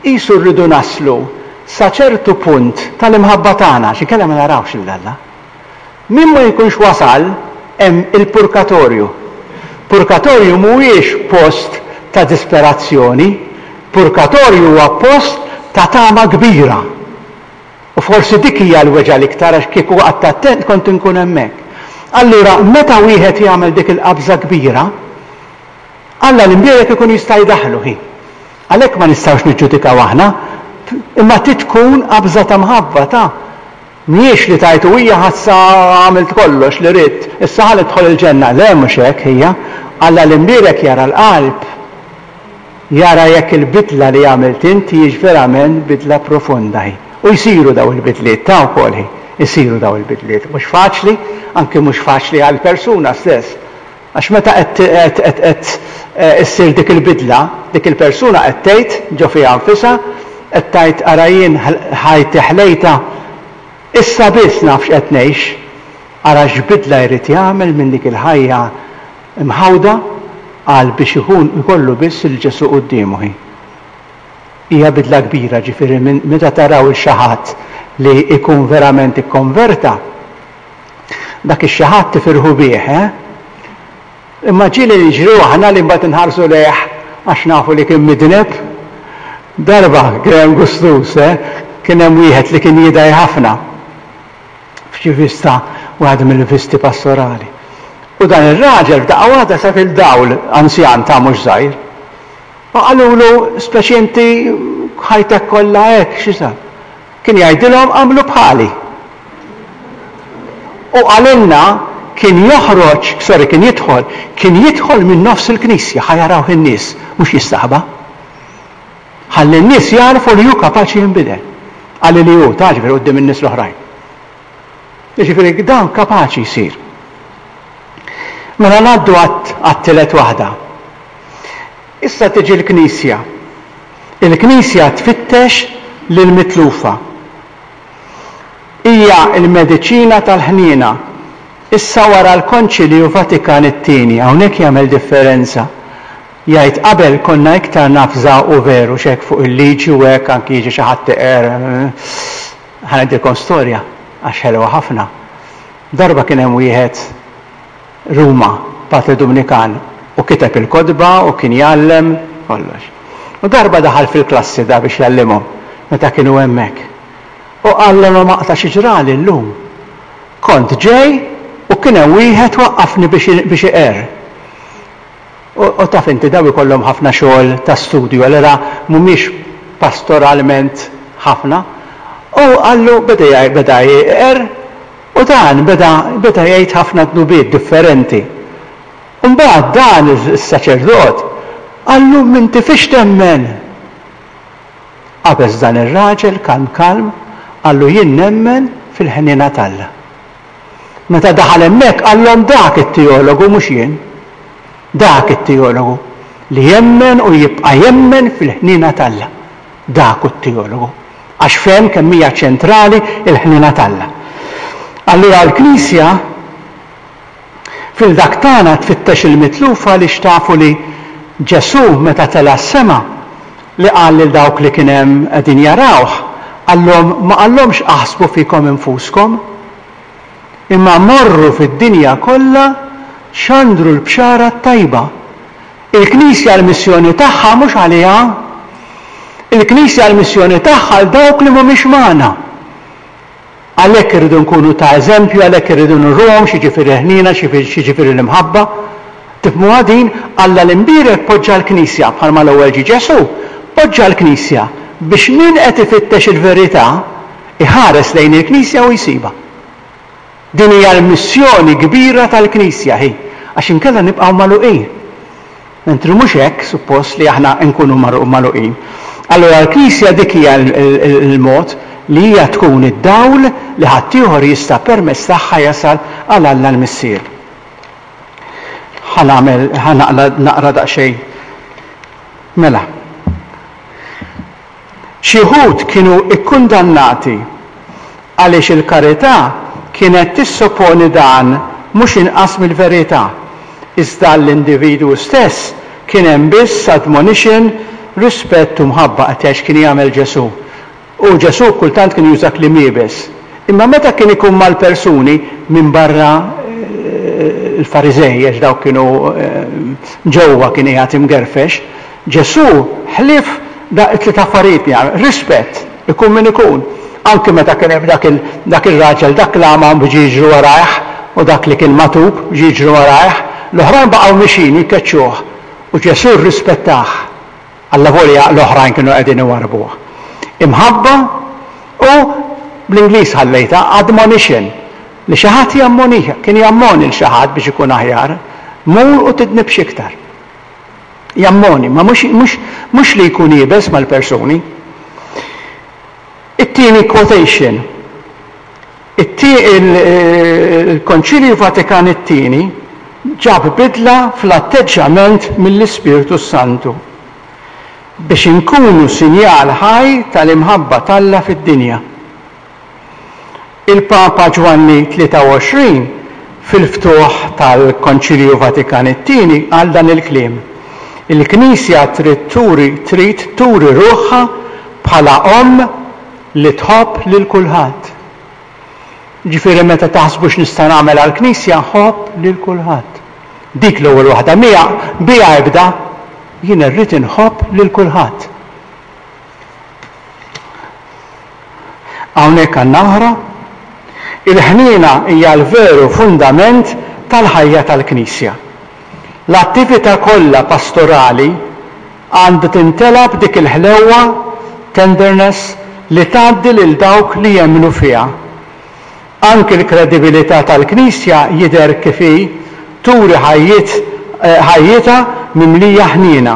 qisu rridu naslu sa ċertu punt tal-imħabba tagħna, xi kellha ma narawx lil Alla. Min ma jkunx wasal hemm il-purkatorju. Purkatorju mhuwiex post ta' disperazzjoni, purkatorju huwa post ta' tama kbira. U forsi dik hija l-weġgħa l-iktar għax kieku qatt attent kont inkun hemmhekk. Allura meta wieħed jagħmel dik il-qabża kbira, Alla l-imbierek ikun jista' jdaħħlu hi. Għalhekk ma nistgħux niġġudikaw aħna, imma trid tkun qabża ta' mħabba ta' mhijiex li tajtu hija ħassa għamilt kollox li ridt, issa ħa nidħol il-ġenna. Le mhux hekk hija. Alla l-imbierek jara l-qalb. Jara jekk il-bidla li għamilt int hijiex verament bidla profonda hi. U jsiru daw il-bidliet ta' wkoll hi. Isiru daw il-bidliet. Mhux faċli, anke mhux faċli għall-persuna stess. Għax meta qed qed issir dik il-bidla, dik il-persuna qed tgħid ġo fiha nfisha, qed tgħid ara jien ħajti ħlejta, issa biss naf x'qed ngħix. Ara x'bidla jrid jagħmel minn dik il-ħajja mħawda għal biex ikun ikollu biss il Ġesù quddiemu hi. Hija bidla kbira, ġifieri minn meta taraw il xi ħadd li jkun verament ikkonverta, dak ix-xi ħadd tifirħu bih, eh? Imma ġieli niġru aħna li mbagħad inħarsu lejh għax nafu li kien midneb. Darba kien gustus, eh? Kien hemm wieħed li kien jidgħi ħafna f'xi vista, waħda mill-visti pastorali. U dan ir-raġel f'daqqa waħda sab il-dawl anzjan ta' mhux żgħir. U qalulu speċi inti ħajtek kollha hekk xi sar. Kien jgħidilhom għamlu bħali. U qalilna kien joħroġ, sorry, kien jidħol, kien jidħol minn nofs il-knisja, ħa jarawh in-nies, mhux jistaħba. Ħalli n-nies jarfu li hu kapaċi jinbidel. Qalli li hu ta' ġifieri quddiem in-nies l-oħrajn. Jiġifieri dan kapaċi jsir. Mela ngħaddu għat-tielet waħda. Issa tiġi l-Knisja. Il-Knisja tfittex lill-mitlufa. Hija l-mediċina tal-ħniena. Issa wara l-Konċilju Vatikan it-tieni, hawnhekk jagħmel differenza. Jgħid qabel konna iktar nafżaw u veru x'hekk fuq il-liġi u hekk anki jiġi xi ħadd iqer. Ħa ngħidilkom storja għax ħelwa ħafna. Darba kien hemm wieħed Ruma, Patri Dumnikan, u kiteb il-kotba u kien jgħallem kollox. U darba daħal fil-klassi da biex jgħallimhom meta kienu hemmhekk. U qallhom aqta' xi ġrali llum. Kont ġej u kien hemm wieħed waqqafni biex iqer. U taf inti daw ikollhom ħafna xogħol ta' studju, allura mhumiex pastoralment ħafna. U qallu beda beda jqer u dan beda beda jgħid ħafna dnubiet differenti. U mbagħad dan is-saċerdot qallu m'inti fiex temmen. Qabeż dan ir-raġel kalm kalm qallu jien nemmen fil-ħniena t'Alla. Meta daħal hemmhekk qallhom dak it-teologu mhux jien. Dak it-teologu li jemmen u jibqa' jemmen fil-ħniena t'Alla. Dak hu t-teologu. Għax fehem kemm hija ċentrali l-ħniena t'Alla. Allura l-Knisja fil-dak tagħna tfittex il-mitlufa li xtafu li Ġesù meta tela' s-sema li qal lil dawk li kien hemm qegħdin jarawh, qallhom ma qallhomx aħsbu fikom infuskom, imma morru fid-dinja kollha xandru l-bxara t-tajba. Il-Knisja l-missjoni tagħha mhux għaliha. Il-Knisja l-missjoni tagħha għal dawk li mhumiex magħna. Għalhekk irridu nkunu ta' eżempju, għalhekk irridu nurruhom x'jiġifieri ħniena, x'jiġifieri l-imħabba. Tifhmuha din? Alla l-imbierek poġġa l-Knisja bħalma l-ewwel ġie Ġesù, poġġa l-Knisja biex min qed ifittex il-verità iħares lejn il-Knisja u jsibha. Din hija l-missjoni kbira tal-Knisja hi, għax inkella nibqgħu magħluqin. Mentri mhux hekk suppost li aħna nkunu magħluqin. Allura l-Knisja dik hija l-mod li hija tkun id-dawl li ħaddieħor jista' permezz tagħha jasal għal Alla l-Missier. Ħa nagħmel ħa naqra daqsxejn. Mela. Xi wħud kienu kkundannati għaliex il-karità kienet tissoponi dan mhux inqas mill-verità, iżda għall-individwu stess kien hemm biss admonition, rispett u mħabba, qed jgħid x'kien jagħmel Ġesù. U Ġesù kultant kien juża kliem iebes. Imma meta kien ikun mal-persuni, minbarra l-Fariżej, għax dawk kienu ġewwa kien qiegħed imgerfex, Ġesù ħlief tliet affarijiet li jagħmel. Rispett, ikun min ikun. Anki meta kien hemm dak dak ir-raġel, dak l-għama biex jiġru warajh, u dak li kien matub biex jiġru warajh, l-oħrajn baqgħu mixin jkeċċuh. U Ġesù rrispettah. Allavolja l-oħrajn kienu qegħdin iwarrbuh. Imħabba u bl-Ingliż ħallejtha admonition, li xi ħadd jammonih, kien jammoni l xi ħadd biex ikun aħjar, mur u tidnibx iktar. Jammoni, ma mhux mhux mhux li jkun iebes mal-persuni. It-tieni quotation. Il-Konċilju Vatikan it-tieni ġab bidla fl-atteġġjament mill-Ispirtu Santu biex inkunu sinjal ħaj tal-imħabba t'Alla fid-dinja. Il-Papa Ġwanni tlieta u għoxrin fil-ftuħ tal-Konċilju Vatikan it-tieni qal dan il-kliem: Il-Knisja trid turi trid turi ruħha bħala omm li tħobb lil kulħadd. Ġifieri meta taħsbu x'nista' nagħmel għall-Knisja, ħobb lil kulħadd. Dik l-ewwel waħda miha biha ibda, jien irrid inħobb lil kulħadd. Hawnhekk għandna oħra. Il-ħniena hija l-veru fundament tal-ħajja tal-Knisja. L-attività kollha pastorali għandha timtela b'dik il-ħlewwa, tenderness, li tgħaddi lil dawk li jemmnu fiha. Anki l-kredibilità tal-Knisja jidher kif hi turi ħajjiet ħajjitha mimlija ħniena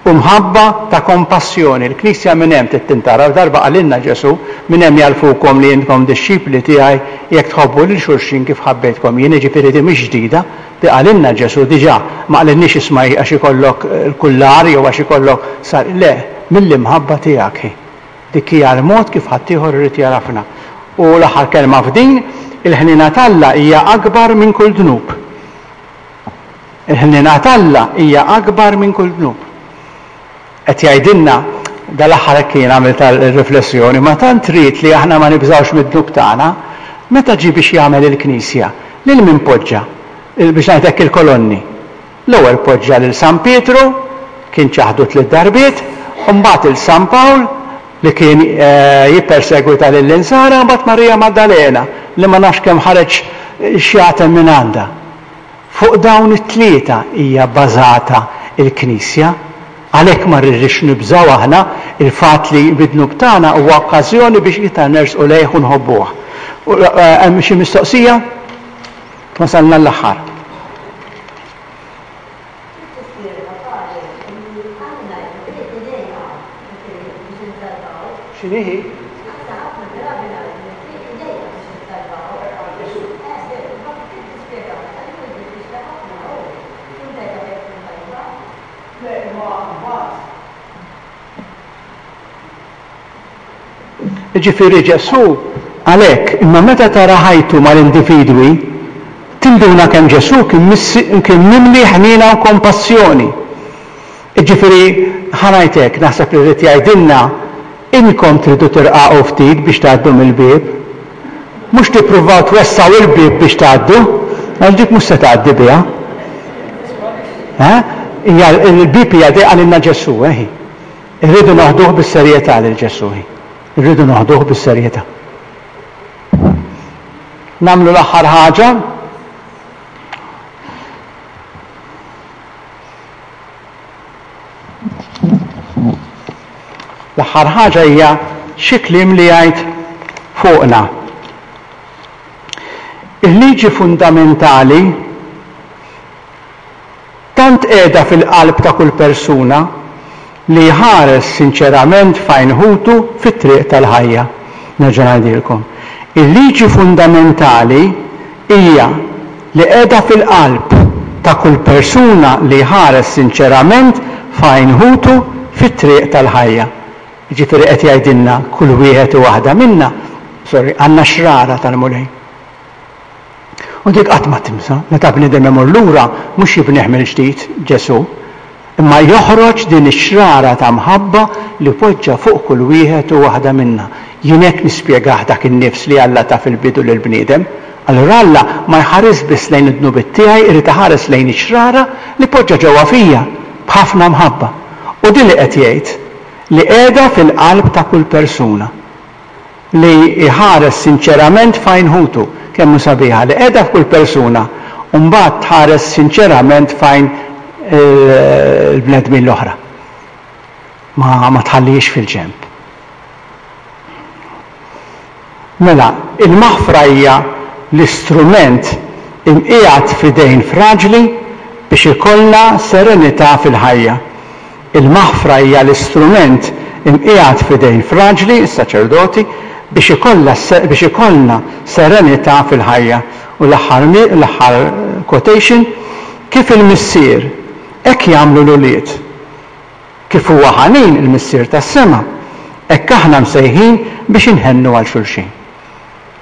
u mħabba ta' kompassjoni. Il-Knisja minn hemm trid tintara. Darba qalilna Ġesù, minn hemm jagħrfukom li intkom dixxipli tiegħi jekk tħobbu lil xulxin kif ħabbejtkom jien. Jiġifieri di mhix ġdida, di qalilna Ġesù diġà. Ma qalilniex isma' għax ikollok l-kullar jew għax ikollok sar, le, mill-imħabba tiegħek hi. Dik hija l-mod kif ħaddieħor irid jagħrafna. U l-aħħar kelma f'din, il-ħniena t'Alla hija akbar minn kull dnub. Il-ħniena t'Alla hija akbar minn kull dnub. Qed jgħidilna, dal-aħħar hekk jien għamilt riflessjoni, ma tant ried li aħna ma nibżgħux mid-dnub tagħna, meta ġie biex jagħmel il-Knisja, lil min poġġa? Biex ngħid hekk il-kolonni. L-ewwel poġġa lil San Pietru, kien ċaħdu tliet darbiet, u mbagħad il San Pawl, li kien jippersegwita lill-Insara, mbagħad Marija Maddalena, li ma nafx kemm ħareġ xjaten minn għandha. Fuq dawn it-tlieta hija bbażata l-Knisja. Għalhekk ma rridux nibżgħu aħna, il-fatt li bid-dnub tagħna huwa okkażjoni biex iktar nersqu lejh u nħobbuh. Hemm xi mistoqsija? Wasalna l-aħħar. X'inhi hi? Jiġifieri Ġesù għalhekk, imma meta tara ħajtu mal-individwi, tinduna kemm Ġesù kien mimli ħniena u kompassjoni. Jiġifieri, ħa ngħid hekk, naħseb li rrid jgħidilna, inkom tridu tirqaqu ftit biex tgħaddu mill-bieb. Mhux tippruvaw twessgħu il-bieb biex tgħaddu, għax dik mhux se tgħaddi biha. Hija l-bieb hija dejqa qalilna Ġesù, eħi. Irridu noħduh bis-serjetà lil Ġesù. Irridu noħduh bis-serjetà. Nagħmlu l-aħħar ħaġa. L-aħħar ħaġa hija xi kliem li jgħid fuqna. Il-liġi fundamentali tant qiegħda fil-qalb ta' kull persuna li jħares sinċerament f'għajn ħutu fit-triq tal-ħajja. Nerġa' ngħidilkom. Il-liġi fundamentali hija li qiegħda fil-qalb ta' kull persuna li jħares sinċerament f'għajn ħutu fit-triq tal-ħajja. Jiġifieri qed jgħidilna kull wieħed u waħda minna, sorry, għandna xrara tal-Mulej. U dik qatt ma timsa, meta bniedem imur lura mhux jibnih mill-ġdid Ġesù, imma joħroġ din ix-xrara ta' mħabba li poġġa fuq kull wieħed u waħda minna. Jien hekk nispjegah dak in-nifs li Alla ta fil-bidu lill-bniedem. Allura Alla ma jħares biss lejn id-dnubiet tiegħi, irid iħares lejn ix-xrara li poġġa ġewwa fija b'ħafna mħabba. U din li qed jgħid li qiegħda fil-qalb ta' kull persuna li jħares sinċerament f'għajn ħutu. Kemm hu sabiħa li qiegħda f'kull persuna u mbagħad tħares sinċerament f'għajn il-bnedmin l-oħra. Ma, ma tħallihiex fil-ġenb. Mela, il-maħfra hija l-istrument imqiegħed f'idejn fraġli biex ikollna serenità fil-ħajja. Il-maħfra hija l-istrument imqiegħed f'idejn fraġli, is-saċerdoti, biex ikollha biex ikollna serenità fil-ħajja. U l-aħħar l-aħħar quotation, kif il-Missier hekk jagħmlu l-ulied. Kif huwa ħanin il-Missier tas-sema, hekk aħna msejħin biex inħennu għal xulxin.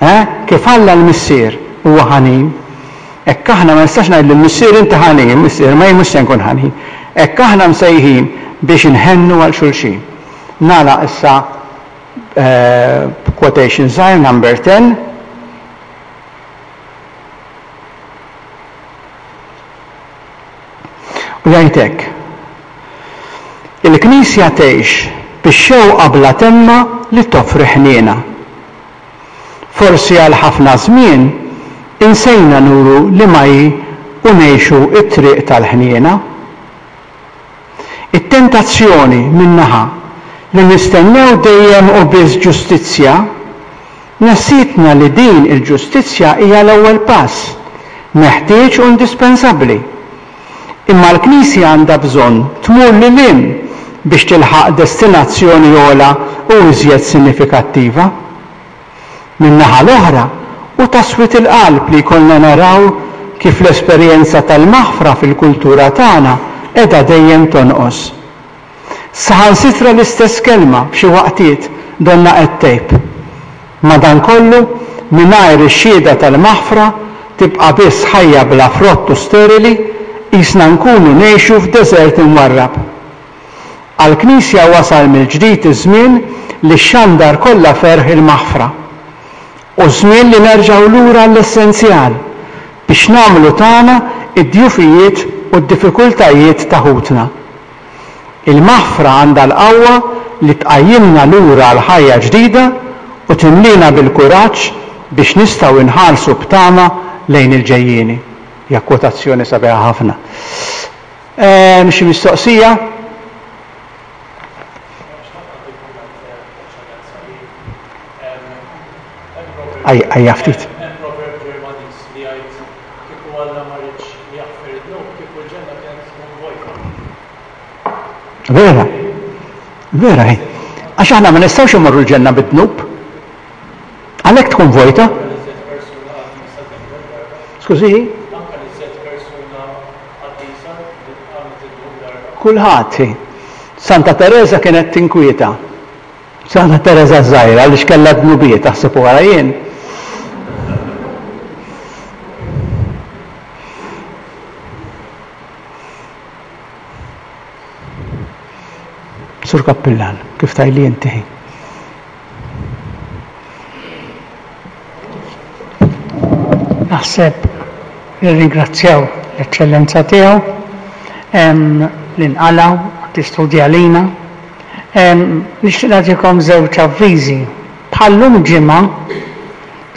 Eh? Kif Alla l-Missier huwa ħanin, hekk aħna ma nistax ngħid lill-Missier inti ħanin, Missier ma jien mhux se nkun ħanin. Hekk aħna msejħin biex inħennu għal xulxin. Nagħlaq issa quotation żgħir number ten. U jgħid hekk. Il-Knisja tgħix bix-xewqa bla temma li toffri ħniena. Forsi għal ħafna żmien insejna nuru li ma hi u ngħixu t-triq tal-ħniena. It-tentazzjoni min-naħa li nistennew dejjem u biss ġustizzja, nessitna li din il-ġustizzja hija l-ewwel pass, meħtieġ u indispensabbli. Imma l-Knisja għandha bżonn tmur lil hinn biex tilħaq destinazzjoni ogħla u iżjed sinifikattiva. Min-naħa l-oħra, hu ta' swied il-qalb li jkollna naraw kif l-esperjenza tal-maħfra fil-kultura tagħna qiegħda dejjem tonqos. Saħansitra l-istess kelma f'xi waqtiet donnha qed tgħib. Madankollu, mingħajr ix-xhieda tal-maħfra tibqa' biss ħajja bla frott u sterili, qisna nkunu ngħixu f'deżert imwarrab. Għall-Knisja wasal mill-ġdid iż-żmien li xxandar kollha ferħ il-maħfra. U żmien li nerġgħu lura għall-essenzjal biex nagħmlu tagħna id-djufijiet u d-diffikultajiet ta' ħutna. Il-maħfra għandha l-qawwa li tqajjimna lura għal ħajja ġdida u timlina bil-kuraġġ biex nistgħu nħarsu b'tama lejn il-ġejjieni. Hija kwotazzjoni sabiħa ħafna. Hemm xi mistoqsija? Ejja ftit. Hemm proverb Ġermaniż li jgħid kieku Alla ma ridx li jaħfer id-dnub, kieku l-ġenna kienet tkun vojta. Vera, vera hi. Għax aħna ma nistgħux immorru l-ġenna bid-dnub. Għalhekk tkun vojta. Skużi? Kulħadd. Santa Teresa kienet tinkwieta. Santa Teresa żgħira għaliex kellha dnubiet, taħseb wara jien. Sur Kappillan, kif tajli inti? Naħseb nirringrazzjaw l-Eċċellenza tiegħu li nqalgħu tistudja lina. Nixtieq nagħtikom żewġ avviżi. Bħallum ġimgħa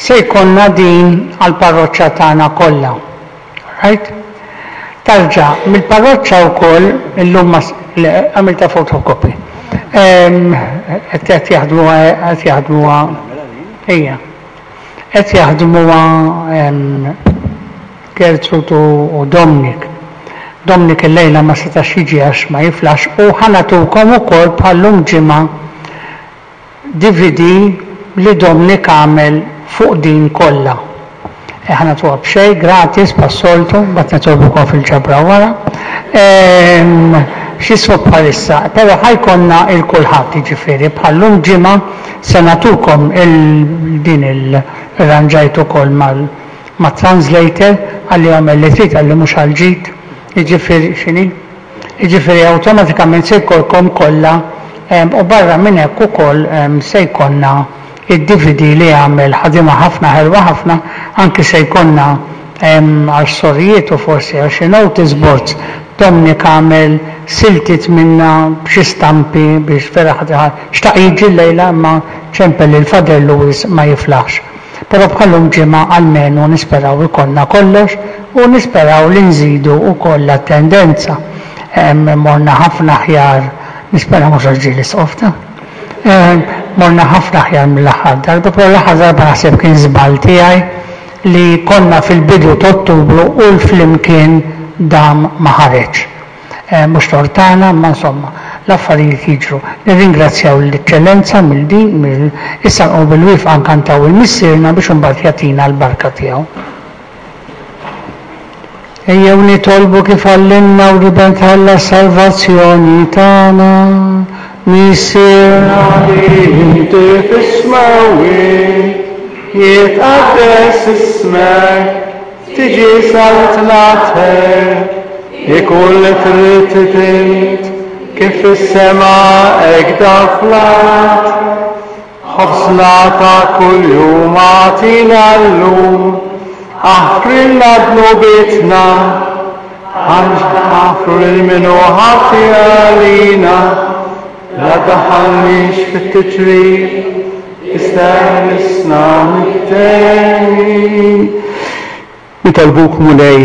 se jkollna din għall-parroċċa tagħna kollha. Right? Tarġa' mill-parroċċa wkoll illum għamilta photocopy. Qed jaħdmuha qed jaħdmuha ejja. Qed jaħdmuha Gertrude u Dominic. Dominic illejla ma setax jiġi għax ma jiflax u ħa nagħtukom ukoll bħal-lum ġimgħa D V D li Dominic għamel fuq din kollha. Ħa nagħtuha b'xejn, gratis, bħas-soltu, mbagħad nitolbukom fil-ġabra wara. X'jismu bħalissa, però ħa jkollna lil kulħadd, jiġifieri bħal-lum ġimgħa se nagħtukom din il-ranġajt ukoll ma' translator għalli għamel li trid, għalli mhux għal-ġid, jiġifieri x'inhi? Jiġifieri awtomatikament se jkollkom kollha u barra minn hekk ukoll se jkollna id-D V D li għamel, ħadima ħafna, ħelwa ħafna, anki se jkollna għal sorijiet u forsi għal xi notice boards. Dominic għamel siltiet minna b'xi stampi biex vera xtaq jiġi llejla imma ċempel lil Father Louis, ma jiflaħx. Però bħal-lum ġimgħa almenu nisperaw ikollna kollox u nisperaw li nżidu ukoll l-attendenza. Morna ħafna aħjar, nispera mhux għax ġie l-isqof ta'. Morna ħafna aħjar mill-aħħar darba, però l-aħħar darba naħseb kien żball tiegħi li konna fil-bidu ta' Ottubru u l-flimkien dam ma ħareġ. Mhux tort tagħna, ma insomma, l-affarijiet jiġru. Nirringrazzjaw l-Eċċellenza mill-din, mill issa nqomu bil-wieqfa nkantaw il-Missierna biex imbagħad jagħtina l-barka tiegħu. Ejjew nitolbu kif għallimna l-Iben t'Alla salvazzjoni tagħna. Missierna li inti fis-smewwiet, jitqaddes ismek, tiġi saltnatek, ikun li trid int kif fis-sema hekk fl-art. Ħobżna ta' kuljum agħtina llum, aħfrilna dnubietna, għax naħfru lil min hu ħati għalina, la ddaħħalniex fit-tiġrib, iżda eħlisna mit-deni. Nitolbuk, Mulej,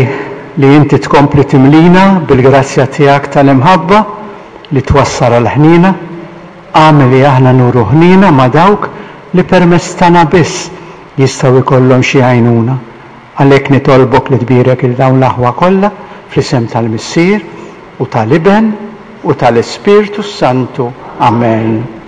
li inti tkompli timlina bil-grazzja tiegħek tal-imħabba li twassal għal-ħnina, agħmel li aħna nuru ħnina ma' dawk li permezz tagħna biss jistgħu jkollhom xi għajnuna. Għalhekk nitolbok li tbierek lil dawn l-aħwa kollha fl-isem tal-Missier u tal-Iben u tal-Ispirtu Santu. Amen.